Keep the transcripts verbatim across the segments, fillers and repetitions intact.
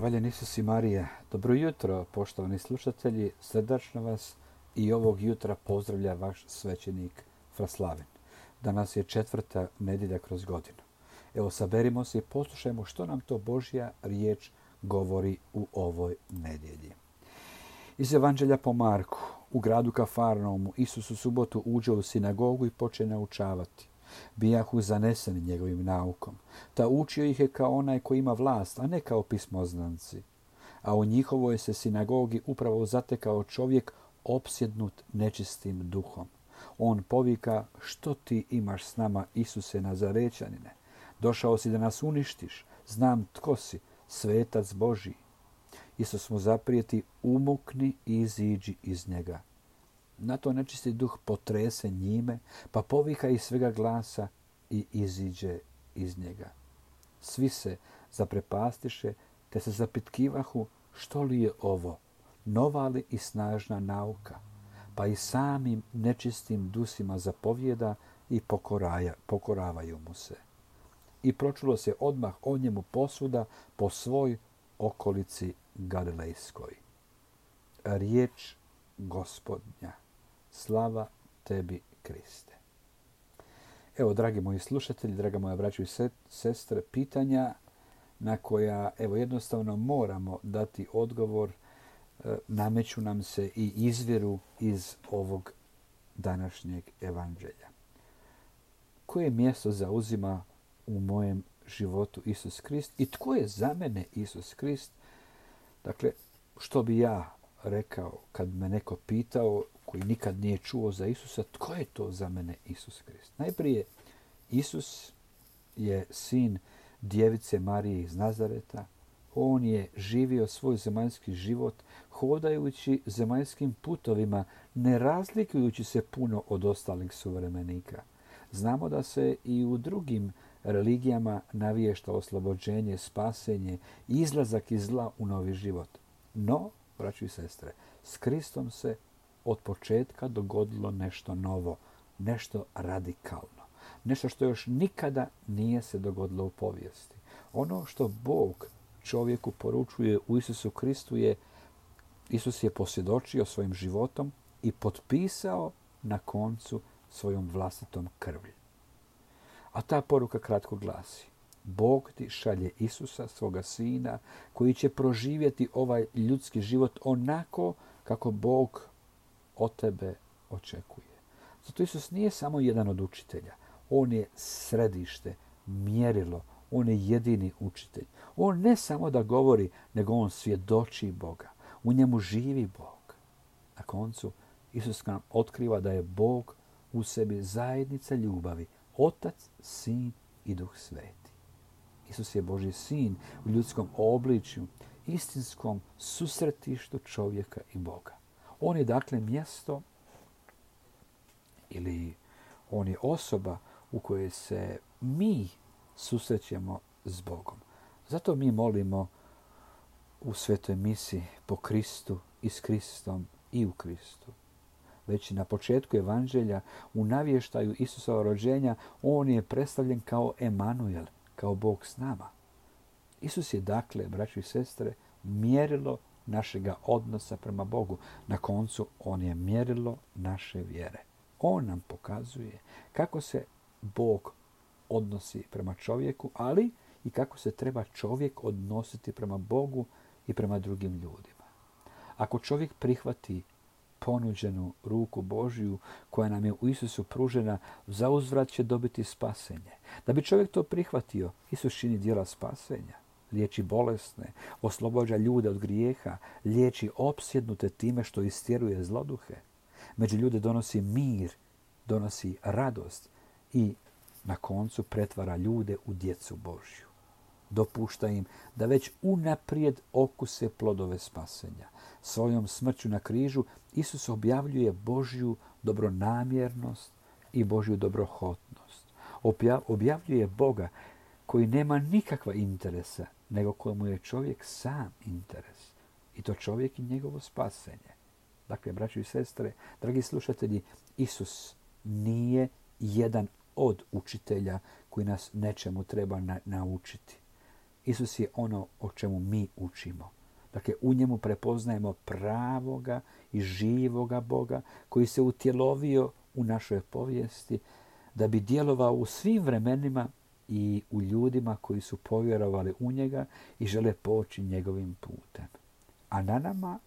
Hvaljen Isus i Marija. Dobro jutro, poštovani slušatelji. Srdačno vas i ovog jutra pozdravlja vaš svećenik Fraslaven. Danas je četvrta nedjelja kroz godinu. Evo, saberimo se i poslušajmo što nam to Božja riječ govori u ovoj nedjelji. Iz Evanđelja po Marku. U gradu Kafarnaumu Isus u subotu uđe u sinagogu i počne naučavati. Bijahu zaneseni njegovim naukom. Ta učio ih je kao onaj koji ima vlast, a ne kao pismoznanci. A u njihovoj se sinagogi upravo zatekao čovjek opsjednut nečistim duhom. On povika: što ti imaš s nama, Isuse Nazarećanine? Došao si da nas uništiš. Znam tko si, svetac Božji. Isus mu zaprijeti: umukni i iziđi iz njega. Na to nečisti duh potrese njime, pa povika iz svega glasa i iziđe iz njega. Svi se zaprepastiše, te se zapitkivahu: što li je ovo, nova li i snažna nauka? Pa i samim nečistim dusima zapovjeda i pokoraja, pokoravaju mu se. I pročulo se odmah o njemu posvuda po svoj okolici Galilejskoj. Riječ Gospodnja. Slava tebi, Kriste. Evo, dragi moji slušatelji, draga moja braćo i sestre, pitanja na koja evo jednostavno moramo dati odgovor, nameću nam se i izviru iz ovog današnjeg evanđelja. Koje mjesto zauzima u mojem životu Isus Krist i tko je za mene Isus Krist? Dakle, što bi ja rekao kad me neko pitao koji nikad nije čuo za Isusa, tko je to za mene Isus Krist? Najprije, Isus je sin djevice Marije iz Nazareta. On je živio svoj zemaljski život hodajući zemaljskim putovima, ne razlikujući se puno od ostalih suvremenika. Znamo da se i u drugim religijama naviješta oslobođenje, spasenje, izlazak iz zla u novi život. No, braćo i sestre, s Kristom se od početka dogodilo nešto novo, nešto radikalno, nešto što još nikada nije se dogodilo u povijesti. Ono što Bog čovjeku poručuje u Isusu Kristu je, Isus je posvjedočio svojim životom i potpisao na koncu svojom vlastitom krvlju. A ta poruka kratko glasi: Bog ti šalje Isusa, svoga sina, koji će proživjeti ovaj ljudski život onako kako Bog od tebe očekuje. Zato Isus nije samo jedan od učitelja. On je središte, mjerilo. On je jedini učitelj. On ne samo da govori, nego on svjedoči Boga. U njemu živi Bog. Na koncu Isus nam otkriva da je Bog u sebi zajednica ljubavi. Otac, Sin i Duh Sveti. Isus je Božji sin u ljudskom obličju, istinskom susretištu čovjeka i Boga. On je dakle mjesto ili on je osoba u kojoj se mi susrećemo s Bogom. Zato mi molimo u svetoj misi po Kristu i s Kristom i u Kristu. Već na početku evanđelja u navještaju Isusova rođenja on je predstavljen kao Emanuel, kao Bog s nama. Isus je dakle, braćo i sestre, mjerilo našega odnosa prema Bogu. Na koncu on je mjerilo naše vjere. On nam pokazuje kako se Bog odnosi prema čovjeku, ali i kako se treba čovjek odnositi prema Bogu i prema drugim ljudima. Ako čovjek prihvati ponuđenu ruku Božju koja nam je u Isusu pružena, zauzvrat će dobiti spasenje. Da bi čovjek to prihvatio, Isus čini djela spasenja. Liječi bolesne, oslobađa ljude od grijeha, liječi opsjednute time što istjeruje zloduhe. Među ljude donosi mir, donosi radost i na koncu pretvara ljude u djecu Božju. Dopušta im da već unaprijed okuse plodove spasenja. Svojom smrću na križu Isus objavljuje Božju dobronamjernost i Božju dobrohotnost. Objavljuje Boga koji nema nikakva interesa, nego kojemu je čovjek sam interes. I to čovjek i njegovo spasenje. Dakle, braćo i sestre, dragi slušatelji, Isus nije jedan od učitelja koji nas nečemu treba na- naučiti. Isus je ono o čemu mi učimo. Dakle, u njemu prepoznajemo pravoga i živoga Boga koji se utjelovio u našoj povijesti da bi djelovao u svim vremenima i u ljudima koji su povjerovali u njega i žele poći njegovim putem. A na nama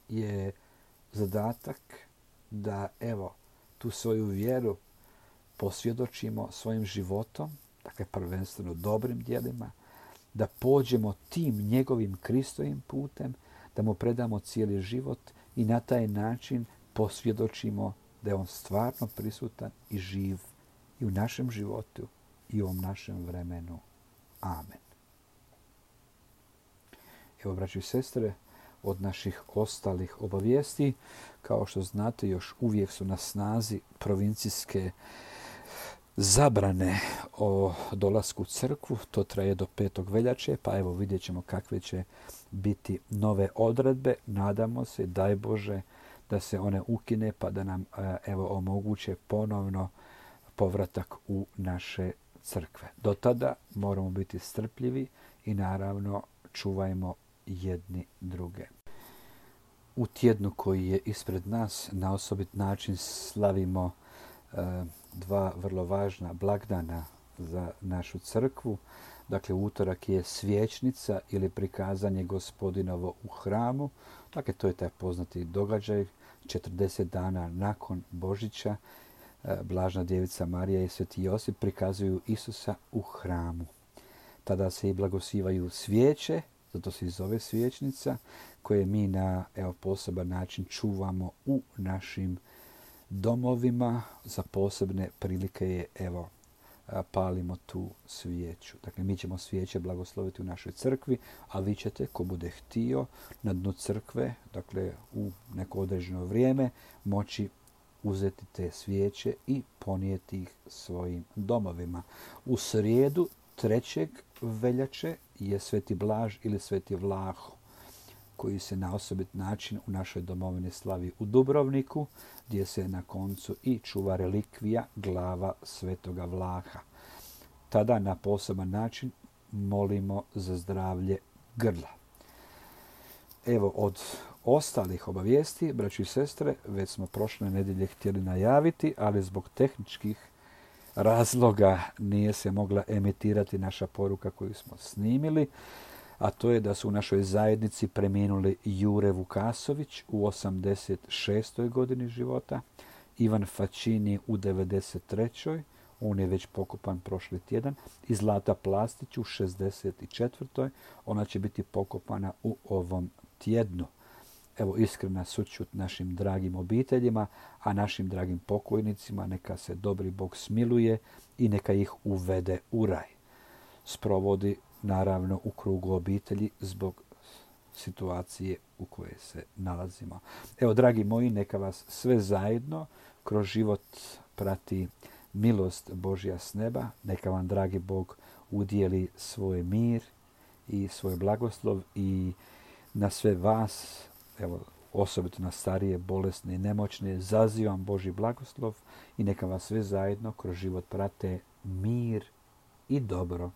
je zadatak da, evo, tu svoju vjeru posvjedočimo svojim životom, dakle prvenstveno dobrim djelima, da pođemo tim njegovim Kristovim putem, da mu predamo cijeli život i na taj način posvjedočimo da je on stvarno prisutan i živ i u našem životu i u ovom našem vremenu. Amen. Evo, braći i sestre, od naših ostalih obavijesti, kao što znate, još uvijek su na snazi provincijske zabrane o dolasku u crkvu. To traje do petog veljače, pa evo vidjet ćemo kakve će biti nove odredbe. Nadamo se, daj Bože, da se one ukine pa da nam evo omoguće ponovno povratak u naše crkve. Do tada moramo biti strpljivi i naravno čuvajmo jedni druge. U tjednu koji je ispred nas na osobit način slavimo e, dva vrlo važna blagdana za našu crkvu. Dakle, utorak je svječnica ili prikazanje Gospodinovo u hramu. Dakle, to je taj poznati događaj. četrdeset dana nakon Božića e, Blažna djevica Marija i Sveti Josip prikazuju Isusa u hramu. Tada se i blagosivaju svijeće, zato se i zove svječnica, koje mi na evo, poseban način čuvamo u našim domovima. Za posebne prilike je, evo, palimo tu svijeću. Dakle, mi ćemo svijeće blagosloviti u našoj crkvi, a vi ćete, ko bude htio, na dnu crkve, dakle, u neko određeno vrijeme, moći uzeti te svijeće i ponijeti ih svojim domovima. U srijedu trećeg veljače je Sveti Blaž ili Sveti Vlaho, koji se na osobit način u našoj domovini slavi u Dubrovniku, gdje se na koncu i čuva relikvija glava Svetoga Vlaha. Tada na poseban način molimo za zdravlje grla. Evo, od ostalih obavijesti, braći i sestre, već smo prošle nedjelje htjeli najaviti, ali zbog tehničkih razloga nije se mogla emitirati naša poruka koju smo snimili, a to je da su u našoj zajednici preminuli Jure Vukasović u osamdeset šestoj godini života, Ivan Fačini u devedeset trećoj on je već pokopan prošli tjedan, i Zlata Plastić u šezdeset četvrtoj ona će biti pokopana u ovom tjednu. Evo, iskrena sućut našim dragim obiteljima, a našim dragim pokojnicima neka se dobri Bog smiluje i neka ih uvede u raj. Sprovodi naravno u krugu obitelji zbog situacije u kojoj se nalazimo. Evo, dragi moji, neka vas sve zajedno kroz život prati milost Božja s neba. Neka vam, dragi Bog, udijeli svoj mir i svoj blagoslov i na sve vas, evo, osobito na starije, bolesne i nemoćne, zazivam Božji blagoslov i neka vas sve zajedno kroz život prate mir i dobro.